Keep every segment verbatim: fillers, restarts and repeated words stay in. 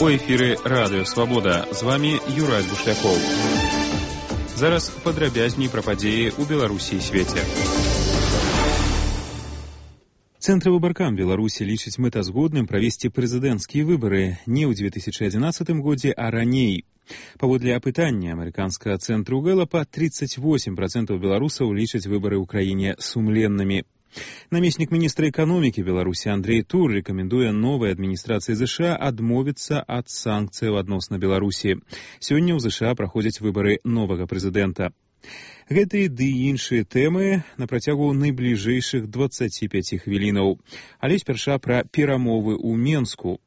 У эфіры Радыё Свабода. З вами Юрай Бушлякоў. Зараз падрабязней пра падзеі ў Беларусі і свеце. Цэнтр выбаркам Беларусі лічыць мэтазгодным правесці прэзідэнцкія выбары не ў две тысячы адзінаццатым годзе, а раней. Паводле апытання амерыканскага цэнтру Гэлапа, тридцать восемь процентов беларусаў лічаць выбары ў краіне сумленнымі. Намеснік міністра эканомікі Беларусі Андрей Тур рэкамендуе новай адміністрацыі ЗША адмовіцца ад санкцыяў адносна Беларусі. Сёння ў ЗША праходзяць выбары новага прэзідэнта. Гэтыя ды іншыя тэмы на працягу найбліжэйшых дваццаці пяці хвілінаў. Але спярша пра перамовы ў Менску.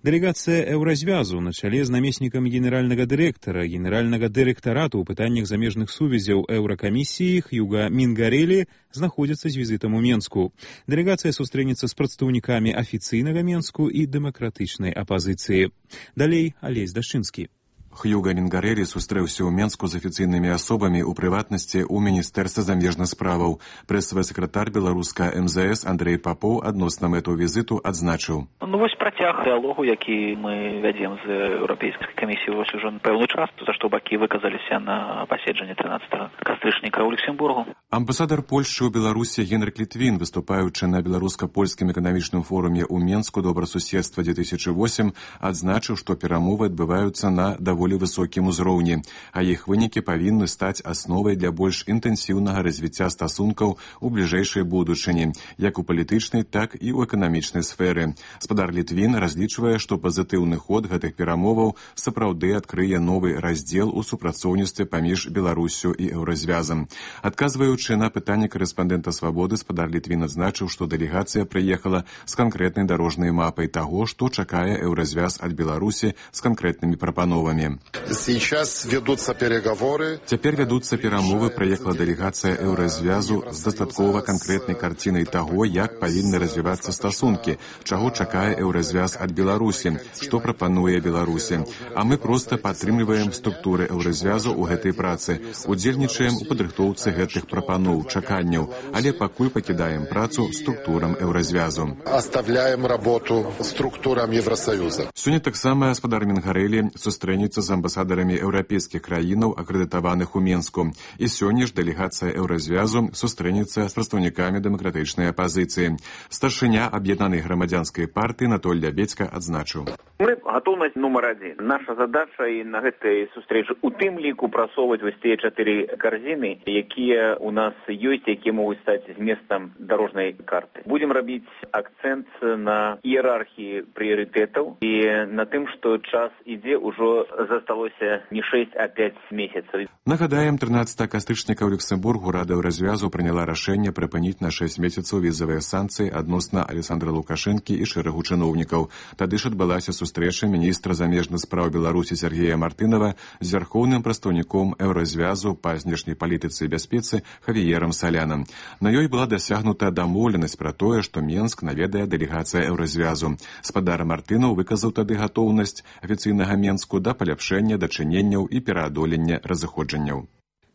Дэлегацыя Еўразвязу на чале з намеснікам генеральнага дырэктара, генеральнага дырэктарату ў пытаннях замежных сувязяў Еўракамісіі Хьюга Мінгарэлі знаходзіцца з візітам у Менску. Дэлегацыя сустрэнецца з прадстаўнікамі афіцыйнага Менску і дэмакратычнай апазіцыі. Далей Алесь Дашчынскі. Хьюга Мінгарэлі сустрэўся ў Менску з афіцыйнымі асобамі, у прыватнасці ў Міністэрства замежных справаў. Прэсавы сакратар беларуска эм зэ эс Андрей Папоў адносна мэту візіту адзначыў. Ну вось працяг дыалогу, які мы вядзем з Еўрапейскай камісіяй вось ужо пэўны час, за што бакі выказаліся на паседжанні трынаццатага кастрычніка ў Люксембургу. Амбасадар Польшчы ў Беларусі Генрык Літвін, выступаючы на беларуска-польскім эканамічным форуме ў Менску добрасуседства две тысячи восемь, адзначыў, што перамовы адбываюцца на даволі высокім узроўні, а іх вынікі павінны стаць асновай для больш інтэнсіўнага развіцця стасункаў у бліжэйшай будучыні, як у палітычнай, так і ў эканамічнай сферы. Спадар Літвін разлічвае, што пазітыўны ход гэтых перамоваў сапраўды адкрые новы раздзел у супрацоўніцтве паміж Беларусю і Еўразвязам. Адказваючы на пытанне корэспандэнта Свабоды, спадар Літвін адзначыў, што дэлегацыя прыехала з канкрэтнай дарожнай мапай таго, што чакае Еўразвяз ад Беларусі з канкрэтнымі прапановамі. Сейчас ведутся переговоры. Цяпер вядуцца перамовы, прыехала дэлегацыя Еўразвязу з дастаткова канкрэтнай карцінай таго, як павінны развівацца стасункі, чаго чакае Еўразвяз ад Беларусі, што прапануе Беларусі. А мы проста падтрымліваем структуры Еўразвязу ў гэтай працы, удзельнічаем у падрыхтоўцы гэтых прапаноў, чаканняў, але пакуль пакідаем працу структурам Еўразвязу. Оставляем работу структурам Евросоюза. Сёння таксама спадар Мінгарэлі сустрэнецца з амбасадарамі еўрапейскіх краінаў, акрэдытаваных у Менску. І сёння ж дэлегацыя Еўразвязу сустрэнецца з прадстаўнікамі дэмакратычнай апазіцыі. Старшыня аб'яднанай грамадзянскай партыі Анатоль Лябедзька адзначыў. Мы гатоўнасць нумар адзін. Наша задача і на гэтай сустрэчы у тым ліку прасоўваць вось тыя чатыры карзіны, якія у нас ёсць, якія могуць стаць зместам дарожнай карты. Будзем рабіць акцэнт на іерархіі прыярытэтаў і на тым, што час ідзе, ўжо засталося не шэсць, а пяць месяцаў. Нагадаем, трынаццатага кастрычніка ў Люксембургу Рада Еўразвязу прыняла рашэнне прыпыніць на шэсць месяцаў візавыя санкцыі адносна Александра Лукашэнкі і шэрагу чыноўнікаў. Тады ж адбылася сустрэча міністра замежных спраў Беларусі Сергея Мартынова з вярхоўным прадстаўніком Еўразвязу па знешняй палітыцы і бяспецы Хавіерам Салянам. На ёй была дасягнута дамоўленасць пра тое, што Менск наведае дэлегацыя Еўразвязу. Спадар Мартынаў выказаў тады гатоўнасць афіцыйнага Менску да паляпшэння дачыненняў і пераадолення разыходжанняў.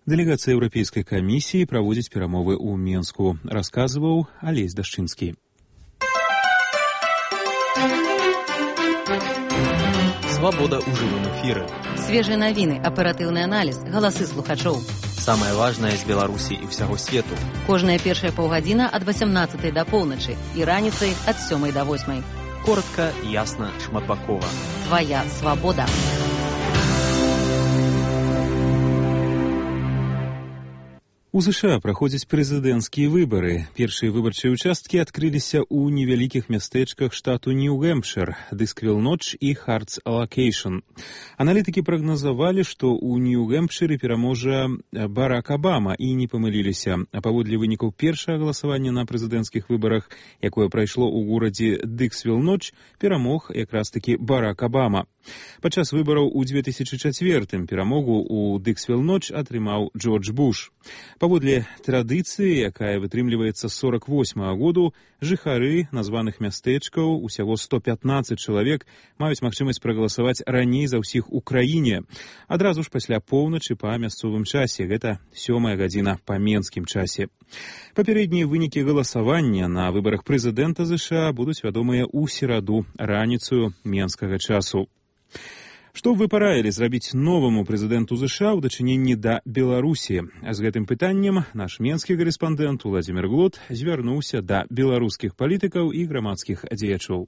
Дэлегацыя Еўрапейскай камісіі праводзіць перамовы ў Менску, расказваў Алесь Дашчынскі. Свабода ў жывым эфіры. Свежыя навіны, аператыўны аналіз, галасы слухачоў. Самае важнае з Беларусі і ўсяго свету. Кожная першая паўгадзіна ад васямнаццатай да поўначы і раніцай ад сёмай да восьмай. Коротка, ясна, шматбакова. Твая свабода. У ЗША праходзяць прэзідэнцкія выбары. Першыя выбарчыя ўчасткі адкрыліся ў невялікіх мястэчках штату Нью-Гэмпшыр, Дысквіл-Ноч і Хартс-Алакейшн. Аналітыкі прагназавалі, што ў Нью-Гэмпшыры пераможа Барак Абама, і не памыліліся. А паводле вынікаў першага галасавання на прэзідэнцкіх выбарах, якое прайшло ў горадзе Дысквіл-Ноч, перамог якраз-такі Барак Абама. Падчас выбараў у две тысячы чацвёртым перамогу ў Дысквіл-Ноч атрымаў Джордж Буш. Паводле традыцыі, якая вытрымліваецца з сорак восьмага году, жыхары названых мястэчкаў, усяго сто пятнаццаць чалавек, маюць магчымасць прагаласаваць раней за ўсіх у краіне. Адразу ж пасля поўначы па мясцовым часе, гэта сёмая гадзіна па менскім часе. Папярэднія вынікі галасавання на выбарах прэзідэнта ЗША будуць вядомыя ў сераду раніцаю менскага часу. Што вы параілі зрабіць новаму прэзідэнту ЗША ў дачыненні да Беларусі? З гэтым пытаннем наш менскі карэспандэнт Уладзімір Глот звярнуўся да беларускіх палітыкаў і грамадскіх дзеячоў.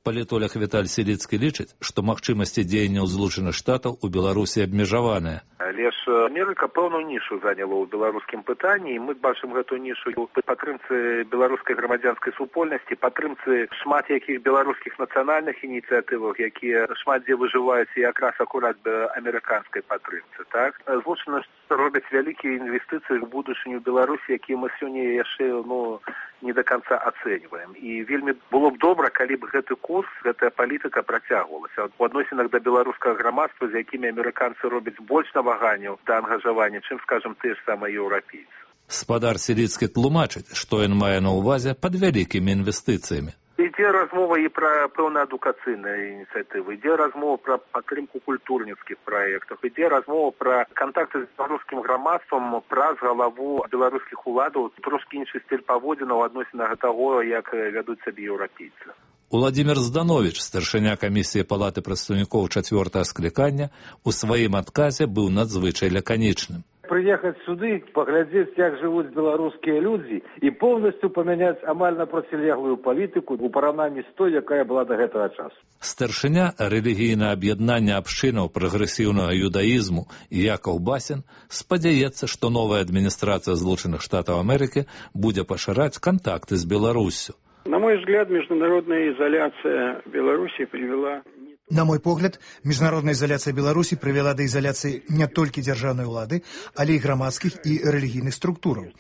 Палітолог Віталь Селіцкі лічыць, што магчымасці дзеянняў Злучаных Штатаў у Беларусі абмежаваныя. Але ж Амерыка пэўную нішу заняла ў беларускім пытанні, і мы бачым гэту нішу ў падтрымцы беларускай грамадзянскай супольнасці, падтрымцы шмат якіх беларускіх нацыянальных ініцыятываў, якія шмат дзе выжываюць і якраз акурат амерыканскай падтрымцы. Так? Злучаны робяць вялікія інвестыцыі ў будучыню Беларусі, якія мы сёння яшчэ ну, не до конца ацэньваем. І вельмі было б добра, калі б гэты курс, гэтая палітыка працягвалася. У адносінах да беларускага грамадства, з якімі амерыканцы робяць больш наваганняў да ангажавання, чым, скажам, тыя ж самыя еўрапейцы. Спадар Селіцкі тлумачыць, што ён мае на ўвазе пад вялікімі інвестыцыямі. Ідзе размова і пра пэўна адукацыйныя ініцыятывы, ідзе размова пра падтрымку культурніцкіх праектаў, ідзе размова пра кантакты з беларускім грамадствам праз галаву беларускіх уладаў, трошкі іншы стыль паводзінаў у адносінах таго, як вядуць сабе еўрапейцы. Уладзімір Здановіч, старшыня камісіі палаты прадстаўнікоў чацвёртага склікання, у сваім адказе быў надзвычай лаканічным. Приехать сюды, поглядеть, как живут белорусские люди, и полностью поменять амаль на протилеглую политику у параўнанні з той, якая была до гэтага часу. Старшыня рэлігійнае аб'яднання абшчынаў прагрэсіўнага юдаізму Якаў Басін спадзяецца, што новая адміністрацыя Злучаных Штатаў Амерыкі будзе пашыраць кантакты з Беларуссю. На мой взгляд, международная изоляция Беларуси привела... На мой погляд, міжнародная изоляция Беларуси привела до изоляции не толькі дзяржаўнай улады, але і грамадскіх і рэлігійных структураў.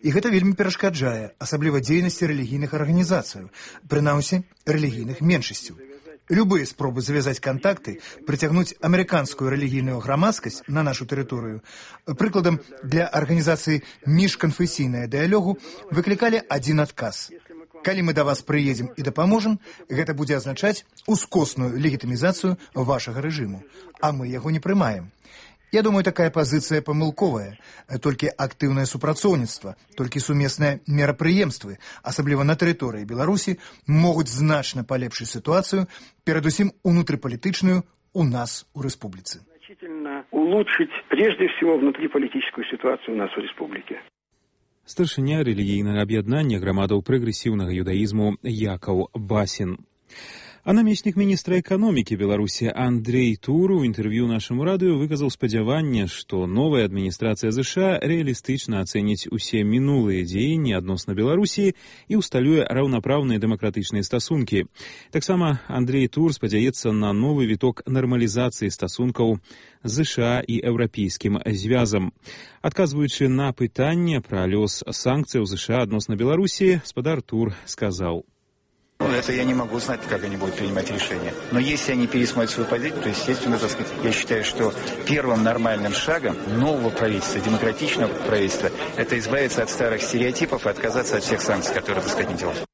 І гэта вельмі перашкаджае, асабліва дзейнасці рэлігійных арганізацыяў, прынамсі рэлігійных меншасцяў. Любые спробы завязаць кантакты, прыцягнуць амерыканскую рэлігійную грамадскасць на нашу тэрыторыю, прыкладам для арганізацыі міжканфесійнага дыялогу, выклікалі адзін адказ. Калі мы да вас прыедзем і дапаможам, гэта будзе азначаць ускосную легітымізацыю вашага рэжыму, а мы яго не прымаем. Я думаю, такая пазіцыя памылковая. Толькі актыўнае супрацоўніцтва, толькі сумесныя мерапрыемствы, асабліва на тэрыторыі Беларусі, могуць значна палепшыць сітуацыю, перадусім унутрыпалітычную у нас у рэспубліцы. Значительно улучшить прежде всего внутриполитическую ситуацию у нас у республике. Старшыня рэлігійнага аб'яднання грамадаў прагрэсіўнага юдаізму Якаў Басін. А намеснік міністра эканомікі Беларусі Андрей Тур у інтэрв'ю нашаму радыё выказаў спадзяванне, што новая адміністрацыя ЗША рэалістычна ацэніць усе мінулыя дзеянні адносна Беларусі і ўсталюе раўнапраўныя дэмакратычныя стасункі. Таксама Андрей Тур спадзяецца на новы віток нармалізацыі стасункаў ЗША і еўрапейскім звязам. Адказваючы на пытанне пра лёс санкцыяў ЗША адносна Беларусі, спадар Тур сказаў: Это я не могу знать, как они будут принимать решения. Но если они пересмотрят свою позицию, то, естественно, так сказать, я считаю, что первым нормальным шагом нового правительства, демократичного правительства, это избавиться от старых стереотипов и отказаться от всех санкций, которые, так сказать, не делают.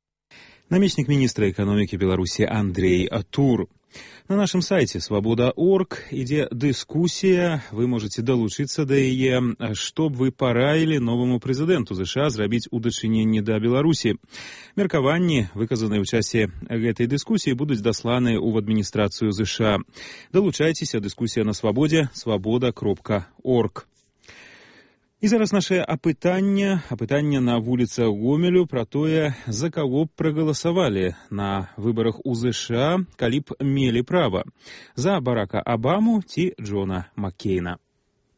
Намеснік міністра эканомікі Беларусі Андрей Тур. На нашым сайце свабода точка орг ідзе дыскусія, вы можаце далучыцца да яе, што б вы параілі новаму прэзідэнту ЗША зрабіць у дачыненні да Беларусі. Меркаванні, выказаныя ў часе гэтай дыскусіі, будуць дасланыя ў адміністрацыю ЗША. Далучайцеся, дыскусія на свабодзе, свабода кропка орг. І зараз наше апытанне, апытанне на вуліцах Гомелю пра тое, за каго б прагаласавалі на выбарах у ЗША, калі б мелі права. За Барака Обаму ці Джона Маккейна.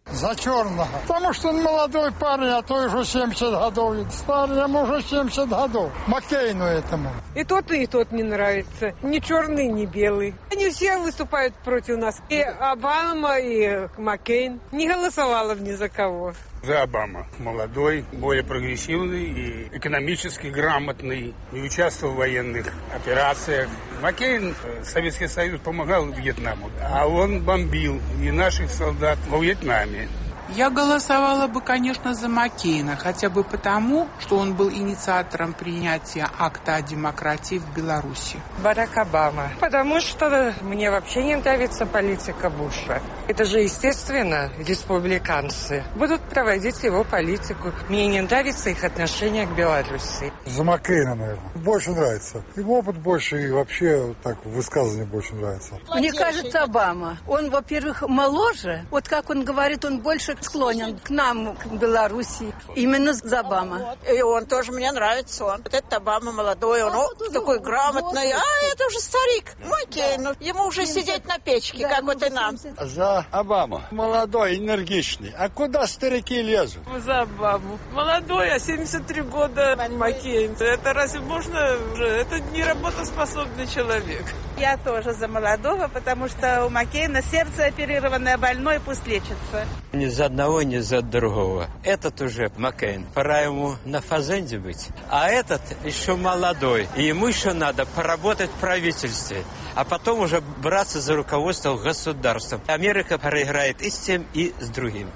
За черного. Потому что он молодой парень, а то уже семьдесят годов. Старый, ему уже семьдесят годов. Маккейну этому. И тот, и тот не нравится. Ни черный, ни белый. Они все выступают против нас. И Обама, и Маккейн. Не голосовала бы ни за кого. За Обама. Молодой, более прогрессивный и экономически грамотный. Не участвовал в военных операциях. Маккейн, Советский Союз помогал Вьетнаму, а он бомбил и наших солдат во Вьетнаме. Я голосовала бы, конечно, за Маккейна, хотя бы потому, что он был инициатором принятия акта о демократии в Беларуси. Барак Обама. Потому что мне вообще не нравится политика Буша. Это же, естественно, республиканцы будут проводить его политику. Мне не нравится их отношение к Беларуси. За Маккейна, наверное. Больше нравится. Его опыт больше, и вообще так высказывание больше нравится. Мне кажется, Обама. Он, во-первых, моложе. Вот как он говорит, он больше склонен к нам, к Беларуси. Именно за Обама. И он тоже мне нравится. Он. Вот этот Обама молодой, он о, такой грамотный. А это уже старик. Маккейн. Ну, ему уже сидеть на печке, как вот и нам. За Обаму. Молодой, энергичный. А куда старики лезут? За Обаму. Молодой, а семьдесят три года Маккейн. Это разве можно уже? Это не работоспособный человек. Я тоже за молодого, потому что у Маккейна сердце оперированное, больной, пусть лечится. Ни за одного, ни за другого. Этот уже Маккейн, пора ему на фазенде быть. А этот еще молодой. И ему еще надо поработать в правительстве. А потом уже браться за руководство государством. Америка проиграет и с тем, и с другим.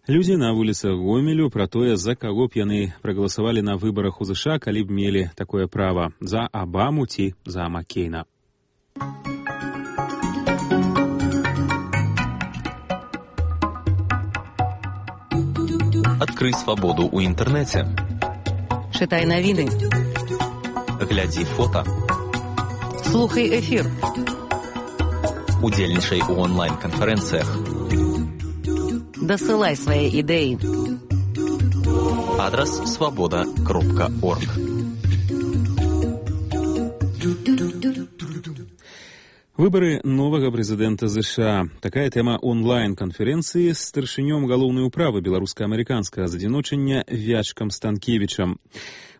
Людзі на вуліцах Гомелю пра тое, за каго б яны прагаласавалі на выбарах у ЗША, калі б мелі такое права, за Абаму ці за Маккейна. Открой свободу у интернете. Читай новини. Гляди фото. Слухай ефір. Удзельнічай у онлайн-канферэнцыях. Дасылай свае ідэі. Адрес свобода кропка орг. Выбары новага прэзідэнта ЗША. Такая тэма онлайн-канферэнцыі з старшынём галоўнай управы беларуска-амерыканскага задзіночання Вячкам Станкевічам.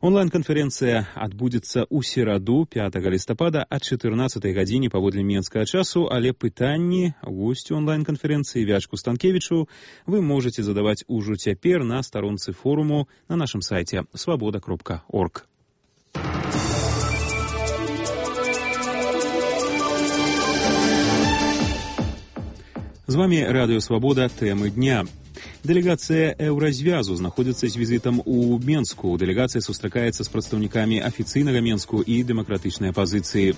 Онлайн-канферэнцыя адбудзецца ў сераду пятага лістапада ад чатырнаццатай гадзіне паводле менскага часу, але пытанні госцю онлайн-канферэнцыі Вячку Станкевічу вы можаце задаваць ужо цяпер на старонцы форуму на нашым сайце свобода кропка орг. З вами Радыё Свабода, тэмы дня. Дэлегацыя Еўразвязу знаходзіцца з візітам у Менску. Дэлегацыя сустракаецца з прадстаўнікамі афіцыйнага Менску і дэмакратычнай апазіцыі.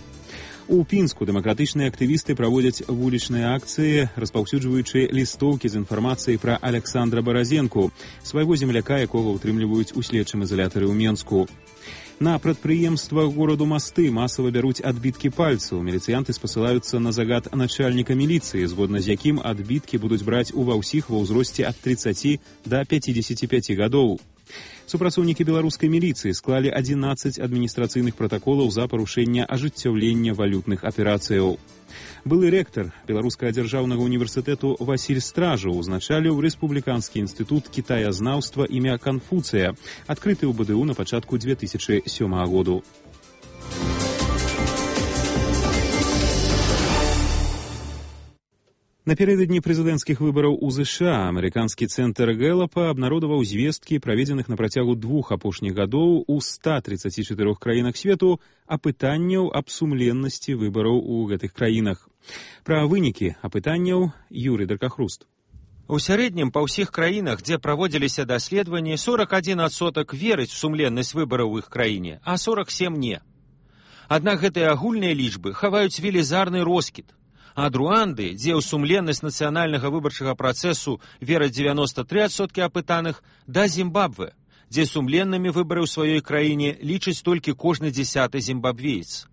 У Пінску дэмакратычныя актывісты праводзяць вулічныя акцыі, распаўсюджваючы лістоўкі з інфармацыяй пра Аляксандра Баразенку, свайго земляка, якога ўтрымліваюць у следчым ізалятары ў Менску. На прадпрыемствах гораду Масты масава бяруць адбіткі пальцаў. Міліцыянты спасылаюцца на загад начальніка міліцыі, згодна з якім адбіткі будуць браць ува ўсіх ва ўзросце ад трыццаці да пяцідзесяці пяці гадоў. Супрацоўнікі беларускай міліцыі склалі адзінаццаць адміністрацыйных пратаколаў за парушэнне ажыццяўлення валютных аперацыяў. Былы рэктар Беларускага дзяржаўнага універсітэту Васіль Стражаў узначаліў Рэспубліканскі інстытут кітаязнаўства імя Канфуцыя, адкрыты ў БДУ на пачатку дзве тысячы сёмага году. Напярэдадні прэзідэнцкіх выбараў у ЗША амерыканскі цэнтр Гэлапа абнародаваў звесткі, праведзеных на працягу двух апошніх гадоў у ста трыццаці чатырох краінах свету, апытанняў аб сумленнасці выбараў у гэтых краінах. Пра вынікі апытанняў Юрый Даркахруст. У сярэднім па ўсіх краінах, дзе праводзіліся даследаванні, сорок адзін адсотак верыць у сумленнасць выбараў у іх краіне, а сорок сем не. Аднак гэтыя агульныя лічбы хаваюць велізарны роскід. Ад Руанды, дзе ў сумленнасць нацыянальнага выбарчага працэсу вераць дзевяноста тры адсоткі апытаных, да Зімбабве, дзе сумленнымі выбары ў сваёй краіне лічыць толькі кожны дзясяты зімбабвеец.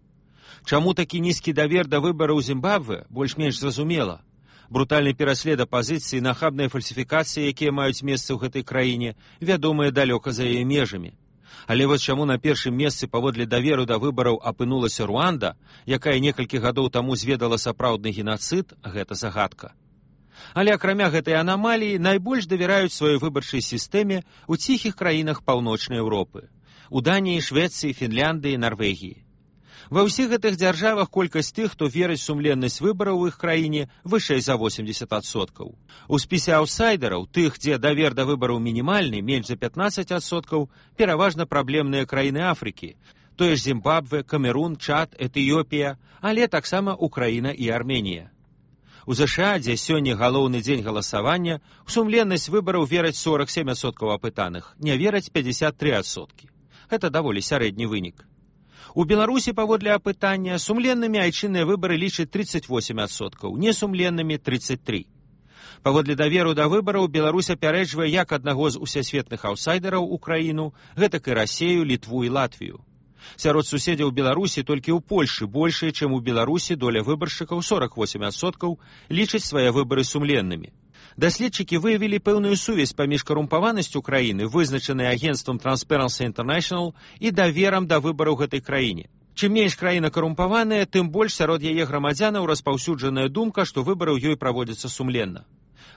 Чаму такі нізкі давер да выбараў у Зімбабве, больш-менш зразумела. Брутальны пераслед апазіцыі, нахабныя фальсіфікацыі, якія маюць месца ў гэтай краіне, вядомыя далёка за яе межамі. Але вось чаму на першым месцы паводле даверу да выбараў апынулася Руанда, якая некалькі гадоў таму зведала сапраўдны генацыд, гэта загадка. Але акрамя гэтай анамаліі найбольш давяраюць сваёй выбарчай сістэме ў ціхіх краінах паўночнай Еўропы, у Даніі, Швецыі, Фінляндыі, Нарвегіі. Ва ўсіх гэтых дзяржавах колькасць тых, хто верыць сумленнасць выбараў у іх краіне, вышэй за восемьдесят адсоткаў. У спісе аўтсайдераў, тых, дзе давер да выбараў мінімальны, менш за пятнаццаць адсоткаў, пераважна праблемныя краіны Афрыкі, тое ж Зімбабве, Камерун, Чад, Этыёпія, але таксама Украіна і Арменія. У ЗША, дзе сёння галоўны дзень галасавання, у сумленнасць выбараў вераць сорок сем адсоткаў апытаных, не вераць пятьдесят три адсоткі. Гэта даволі сярэдні вынік. У Беларусі, паводле апытання, сумленнымі айчынныя выбары лічаць тридцать восемь адсоткаў, несумленнымі тридцать три. Паводле даверу да выбараў Беларусь апярэджвае як аднаго з усясветных аўсайдераў Украіну, гэтак і Расею, Літву і Латвію. Сярод суседзяў Беларусі толькі ў Польшы большая, чым у Беларусі доля выбаршчыкаў сорок восемь адсоткаў лічаць свае выбары сумленнымі. Даследчыкі выявілі пэўную сувязь паміж карумпаванасцю краіны, вызначанай агенцтвам Transparency International, і даверам да выбараў гэтай краіне. Чым менш краіна карумпаваная, тым больш сярод яе грамадзянаў распаўсюджаная думка, што выбары ў ёй праводзяцца сумленна.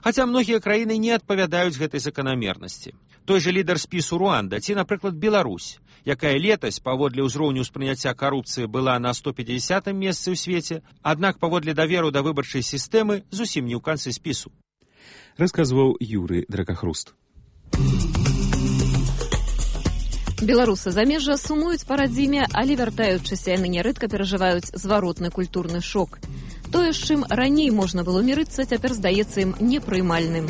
Хаця многія краіны не адпавядаюць гэтай заканамернасці. Той жа лідар спісу Руанда ці, напрыклад, Беларусь, якая летась паводле ўзроўню ўспрыняцця карупцыі была на сто пятидесятым месцы ў свеце, аднак паводле даверу да выбарчай сістэмы зусім не ў канцы спісу. Расказваў Юрый Дракахруст. Беларусы замежжа сумуюць па радзіме, але вяртаючыся яны нярэдка перажываюць зваротны культурны шок. Тое, з чым раней можна было мірыцца, цяпер здаецца ім непрымальным.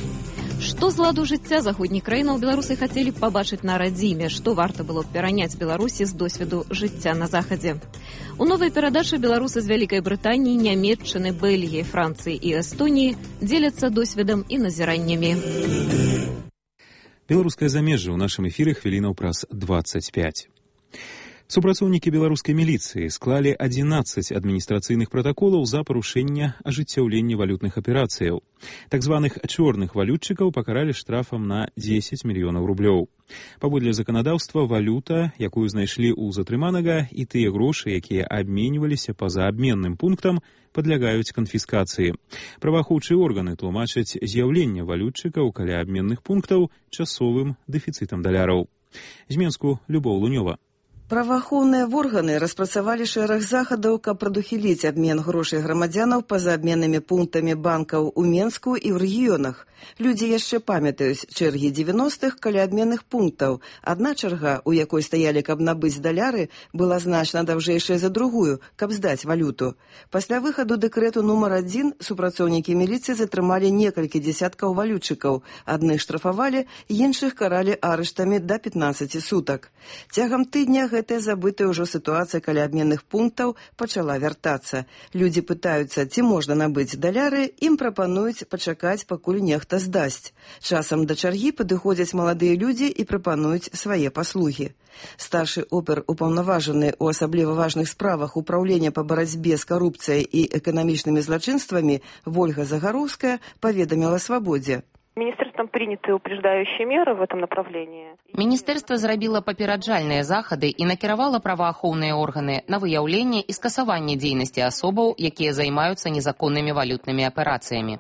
Што з ладу жыцця заходніх краінаў беларусы хацелі б пабачыць на радзіме, што варта было б пераняць Беларусі з досведу жыцця на захадзе. У новай перадачы беларусы з Вялікай Брытаніі, Нямецчыны, Бельгіі, Францыі і Эстоніі дзеляцца досведам і назіраннямі. Беларускае замежжа ў нашым эфіры хвілінаў праз двадцать пять. Супрацоўнікі беларускай міліцыі склалі адзінаццаць адміністрацыйных пратаколаў за парушэнне ажыццяўлення валютных аперацыяў. Так званых чорных валютчыкаў пакаралі штрафам на дзесяць мільёнаў рублёў. Паводле заканадаўства, валюта, якую знайшлі ў затрыманага, і тыя грошы, якія абменьваліся па-за абменным пунктам, падлягаюць канфіскацыі. Праваахоўчыя органы тлумачаць з'яўленне валютчыкаў каля абменных пунктаў часовым дэфіцытам даляраў. З Менску Любоў Лунёва. Праваахоўныя органы распрацавалі шэраг захадаў, каб прадухіліць абмен грошай грамадзянаў па-за абменнымі пунктамі банкаў у Менску і ў рэгіёнах. Людзі яшчэ памятаюць чэргі дзевяностых каля абменных пунктаў. Адна чарга, у якой стаялі, каб набыць даляры, была значна даўжэйшая за другую, каб здаць валюту. Пасля выхаду дэкрэту нумар адзін супрацоўнікі міліцыі затрымалі некалькі дзесяткаў валютчыкаў. Адных штрафавалі, іншых каралі арыштамі да пятнаццаці сутак. Цягам тыдня гэтая забытая ўжо сітуацыя каля абменных пунктаў пачала вяртацца. Людзі пытаюцца, ці можна набыць даляры, ім прапануюць пачакаць, пакуль нехта здасць. Часам да чаргі падыходзяць маладыя людзі і прапануюць свае паслугі. Старшы опер упаўнаважаны ў асабліва важных справах управлення па барацьбе з карупцыяй і эканамічнымі злачынствамі Вольга Загароўская паведаміла Свабодзе. Министерством приняты упреждающие меры в этом направлении. Міністэрства зрабіла папераджальныя захады і накіравала праваахоўныя органы на выяўленне і скасаванне дзейнасці асобаў, якія займаюцца незаконнымі валютнымі аперацыямі.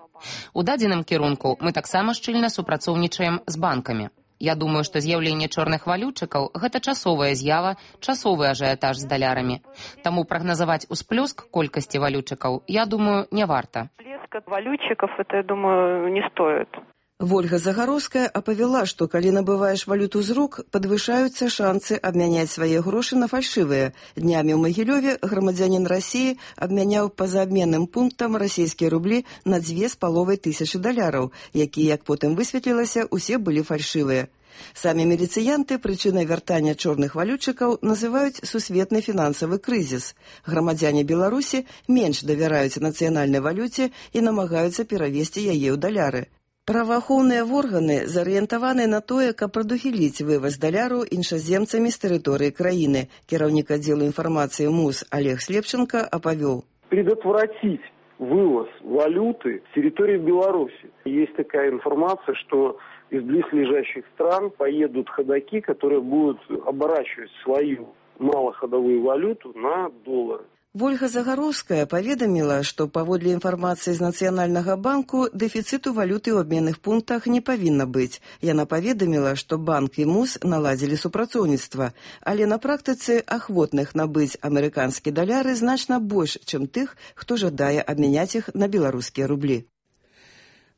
У дадзеным кірунку мы таксама шчыльна супрацоўнічаем з банкамі. Я думаю, што з'яўленне чорных валютчыкаў – гэта часовая з'ява, часовы ажыятаж з далярамі. Таму прагназаваць усплёск колькасці валютчыкаў, я думаю, не варта. Всплеск валютчиков, это, я думаю, не стоит. Вольга Загароўская апавяла, што калі набываеш валюту з рук, падвышаюцца шанцы абмяняць свае грошы на фальшывыя. Днямі ў Магілёве грамадзянін Расіі абмяняў па-за абменным пунктам расійскія рублі на дзве з паловай тысячы даляраў, якія, як потым высветлілася, усе былі фальшывыя. Самі міліцыянты прычынай вяртання чорных валютчыкаў называюць сусветны фінансавы крызіс. Грамадзяне Беларусі менш давяраюць нацыянальнай валюце і намагаюцца перавесці яе ў даляры. Праваахоўныя органы зарыентаваны на тое, каб прадухіліць вываз даляру іншаземцамі з тэрыторыі краіны. Кіраўнік аддзелу інфармацыі МУС Олег Слепченко апавёл. Предотвратить вывоз валюты с территории Беларуси. Есть такая информация, что из близлежащих стран поедут ходаки, которые будут оборачивать свою малоходовую валюту на доллары. Вольга Загароўская паведаміла, што паводле інфармацыі з Нацыянальнага банку дэфіцыту валюты ў абменных пунктах не павінна быць. Яна паведаміла, што банк і МУС наладзілі супрацоўніцтва, але на практыцы ахвотных набыць амерыканскі даляры значна больш, чым тых, хто жадае абмяняць іх на беларускія рублі.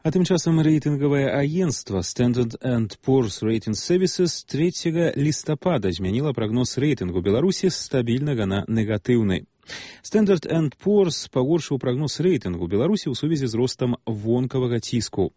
А тым часам рэйтынгавае агенцтва Standard and Poor's Rating Services трэцяга лістапада змяніла прагноз рэйтынгу Беларусі з стабільнага на негатыўны. Standard энд Poor's пагоршыў прагноз рэйтынгу Беларусі ў сувязі з ростам вонкавага ціску.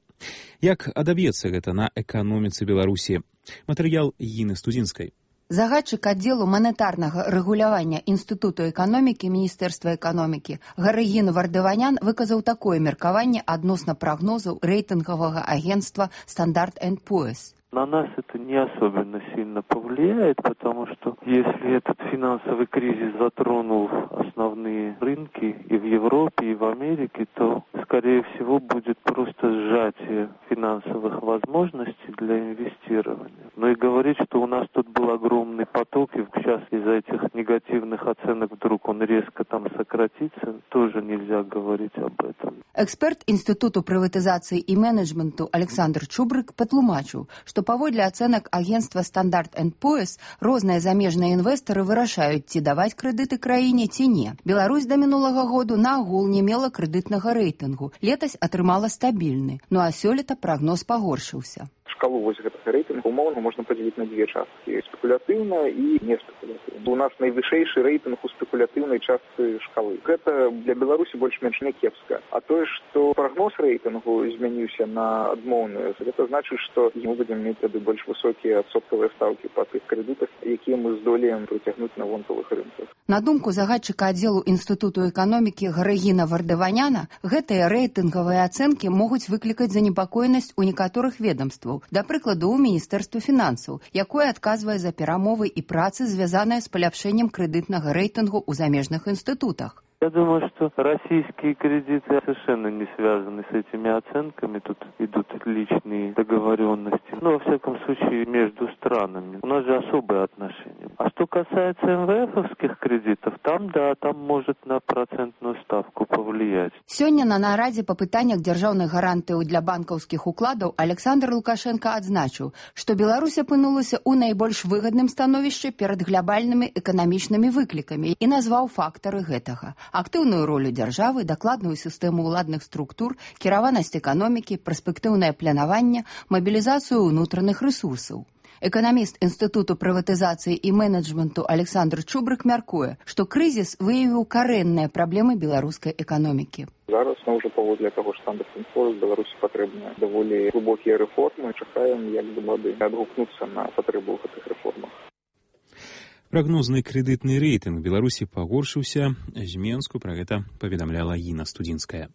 Як адаб'ецца гэта на эканоміцы Беларусі? Матэрыял Іны Студзінскай. Загадчык аддзелу манетарнага рэгулявання Інстытуту эканомікі Міністэрства эканомікі Гарыгін Вардаванян выказаў такое меркаванне адносна прагнозаў рэйтынгавага агентства Standard энд Poor's. На нас это не особенно сильно повлияет, потому что если этот финансовый кризис затронул основные рынки и в Европе, и в Америке, то, скорее всего, будет просто сжатие финансовых возможностей для инвестирования. Но и говорить, что у нас тут был огромный поток, и сейчас из-за этих негативных оценок вдруг он резко там сократится, тоже нельзя говорить об этом. Эксперт Інстытуту прыватызацыі і менеджменту Александр Чубрык патлумачыў, што паводле ацэнак агентства Standard энд Poor's розныя замежныя інвестары вырашаюць, ці даваць крэдыты краіне, ці не. Беларусь да мінулага году наогул не мела крэдытнага рэйтынгу. Летась атрымала стабільны, ну а сёлета прагноз пагоршыўся. Шкалу вось гэтага рэйтынгу умоўна можна падзяліць на дзве часткі: спекулятыўна і не спекулятыўна. У нас найвышэйшы рэйтынг у спекулятыўнай частцы шкалы. Гэта для Беларусі больш-менш не кепска. А тое, што прагноз рэйтынгу змяніўся на адмоўную, гэта значыць, што мы будзем мець тады больш высокія адсоткавыя стаўкі па тых крэдытах, якія мы здолеем прыцягнуць на вонкавых рынках. На думку загадчыка аддзелу Інстытуту эканомікі Гарыгіна Вардаваняна, гэтыя рэйтынгавыя ацэнкі могуць выклікаць занепакоенасць у некаторых ведомстваў. Да прыкладу, у Міністэрства фінансаў, якое адказвае за перамовы і працы, звязаныя з паляпшэннем крэдытнага рэйтынгу ў замежных інстытутах. Я думаю, что российские кредиты совершенно не связаны с этими оценками. Тут идут личные договоренности. Но, во всяком случае, между странами. У нас же особые отношения. А что касается эм вэ эфовских кредитов, там, да, там может на процентную ставку повлиять. Сёння на нарадзе па пытаннях дзяржаўных гарантыяў для банкаўскіх укладаў Александр Лукашенко адзначыў, што Беларусь апынулася ў найбольш выгадным становішчы перад глобальнымі эканамічнымі выклікамі і назваў фактары гэтага: актыўную ролю дзяржавы, дакладную сістэму ўладных структур, кіраванасць эканомікі, перспектыўнае планаванне, мабілізацыю ўнутраных рэсурсаў. Эканаміст Інстытуту прыватызацыі і менеджменту Александр Чубрык мяркуе, што крызіс выявіў карэнныя праблемы беларускай эканомікі. Зараз мы ўжо паводле таго ж Standard энд Poor's Беларусі патрэбныя даволі глыбокія рэформы. Чакаем, як бы мады адгукнуцца на патрэбу гэтых рэформах. Прагнозны крэдытны рэйтынг Беларусі пагоршыўся. З Менску пра гэта паведамляла Іна Студзінская.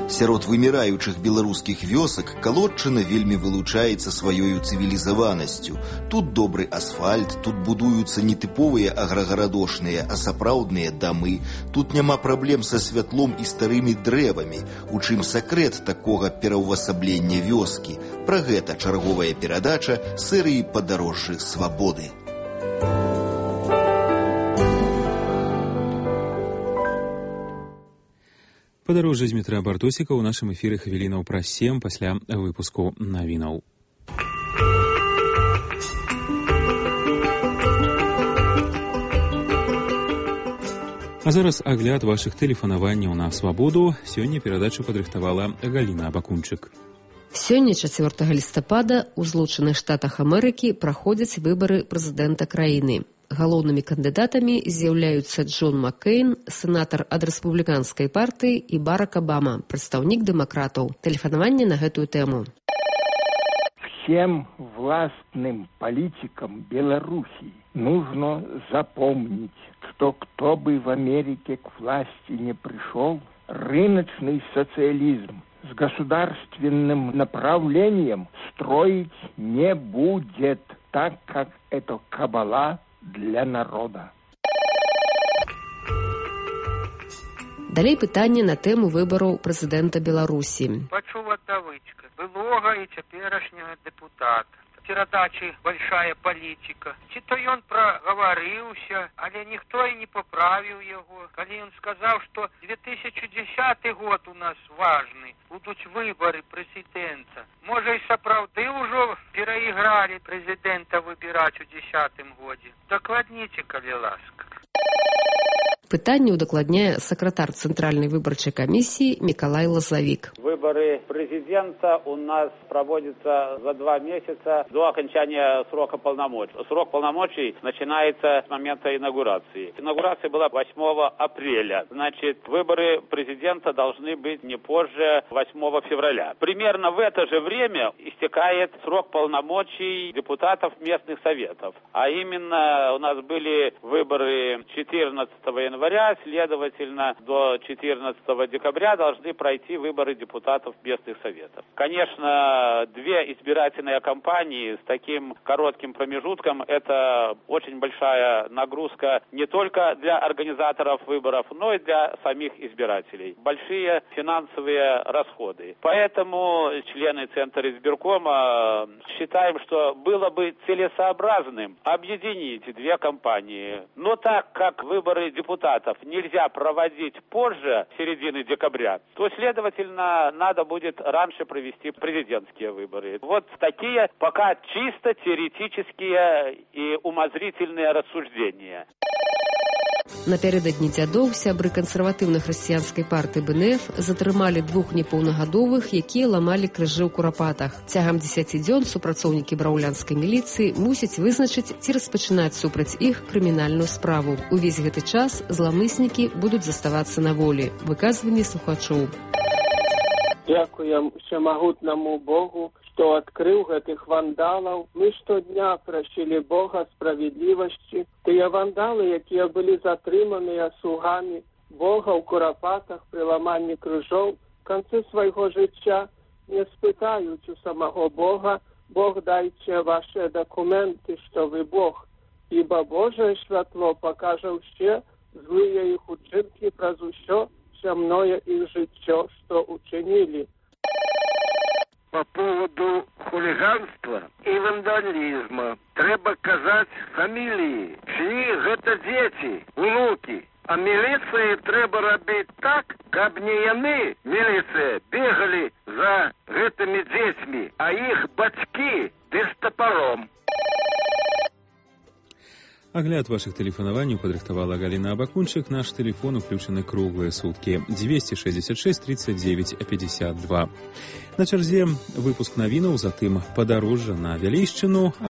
Сярод выміраючых беларускіх вёсак Калодчына вельмі вылучаецца сваёю цывілізаванасцю. Тут добры асфальт, тут будуюцца не тыповыя аграгарадошныя, а сапраўдныя дамы. Тут няма праблем са святлом і старымі дрэвамі. У чым сакрэт такога пераўвасаблення вёскі? Пра гэта чарговая перадача серыі «Падарожжы свабоды». Падарожжа з Дмітрая Бартосіка ў нашым эфіры хвілінаў праз сем пасля выпуску навінаў. А зараз агляд вашых тэлефанаванняў на свабоду. Сёння перадачу падрыхтавала Галіна Абакунчык. Сёння, чацвёртага лістапада, у Злучаных Штатах Амерыкі праходзяць выбары прэзідэнта краіны. Галоўнымі кандыдатамі з'яўляюцца Джон Маккейн, сенатар ад рэспубліканскай партыі, і Барак Обама, прадстаўнік дэмакратаў. Тэлефанаванне на гэтую тэму. Всем властным политикам Беларуси нужно запомнить, что кто бы в Америке к власти не пришел, рыночный социализм с государственным направлением строить не будет, так как это кабала для народа. Далей пытанне на тэму выбараў прэзідэнта Беларусі. Пачула давычка былога і цяперашняга дэпутата. Перадачы большая палітика. Ці то ён прагаварыўся, але ніхто і не паправіў яго. Калі ён сказаў, што две тысячи десятый год у нас важны, будуць выбары прэзідэнта. Можа, і сапраўды ўжо перайгралі прэзідэнта выбіраць у дзесятым годзе. Дакладніце, калі ласка. Пытанне ўдакладняе сакратар Цэнтральнай выбарчай камісіі Мікалай Лазавік. Выборы Выборы президента у нас проводятся за два месяца до окончания срока полномочий. Срок полномочий начинается с момента инаугурации. Инаугурация была восьмого апреля. Значит, выборы президента должны быть не позже восьмого февраля. Примерно в это же время истекает срок полномочий депутатов местных советов. А именно у нас были выборы четырнадцатого января, следовательно, до четырнадцатого декабря должны пройти выборы депутатов местных советов. Конечно, две избирательные кампании с таким коротким промежутком – это очень большая нагрузка не только для организаторов выборов, но и для самих избирателей. Большие финансовые расходы. Поэтому члены Центра избиркома считаем, что было бы целесообразным объединить две кампании. Но так как выборы депутатов нельзя проводить позже середины декабря, то, следовательно, надо будет раньше провести президентские выборы. Вот такие пока чисто теоретические и умозрительные рассуждения. Напярэдадні дзядоў сябры кансерватыўна-хрысціянскай партыі БНФ затрымалі двух непаўнагадовых, якія ламалі крыжы ў курапатах. Цягам дзесяці дзён супрацоўнікі браўлянскай міліцыі мусяць вызначыць, ці распачынаць супраць іх крымінальную справу. Увесь гэты час зламыснікі будуць заставацца на волі. Выказванні слухачоў. Дзякуем усемагутнаму Богу, што адкрыў гэтых вандалаў. Мы штодня прасілі Бога справядлівасці. Тыя вандалы, якія былі затрыманыя слугамі Бога ў курапатах пры ламанні крыжоў, в канцы свайго жыцця не спытаюць у самого Бога: Бог, дайце ваши дакументы, што вы Бог, ібо Божае святло пакажа ўсе злыя іх учынкі праз усё зямное іх жыццё, што учинили. По поводу хулиганства и вандализма треба казать фамилии, чьи это дети, внуки. А милиции треба робить так, каб не яны, милиция, бегали за этими детьми, а их бацьки без топором. Агляд вашых тэлефанаванняў падрыхтавала Галіна Абакунчык. Наш тэлефон уключаны круглыя суткі двести шестьдесят шесть тридцать девять пятьдесят два. На чарзе выпуск навінаў, затым падарожжа на Вялейшчыну.